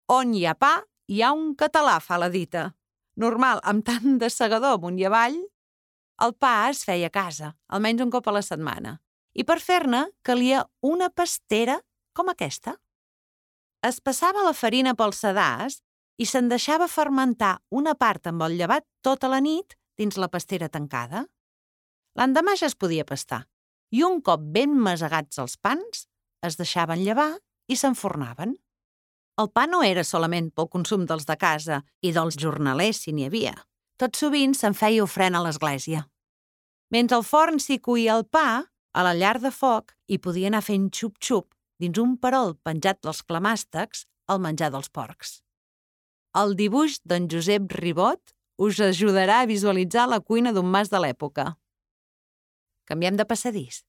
On hi ha pa, hi ha un català, fa la dita. Normal, amb tant de segador amunt i avall, el pa es feia a casa, almenys un cop a la setmana. I per fer-ne calia una pastera com aquesta. Es passava la farina pel sedàs i se'n deixava fermentar una part amb el llevat tota la nit dins la pastera tancada. L'endemà ja es podia pastar i un cop ben masegats els pans, es deixaven llevar i s'enfornaven. El pa no era solament pel consum dels de casa i dels jornalers, si n'hi havia. Tot sovint se'n feia ofrena a l'església. Mentre al forn s'hi cuia el pa, a la llar de foc hi podia anar fent xup-xup dins un perol penjat dels clemàstecs al menjar dels porcs. El dibuix d'en Josep Ribot us ajudarà a visualitzar la cuina d'un mas de l'època. Canviem de passadís.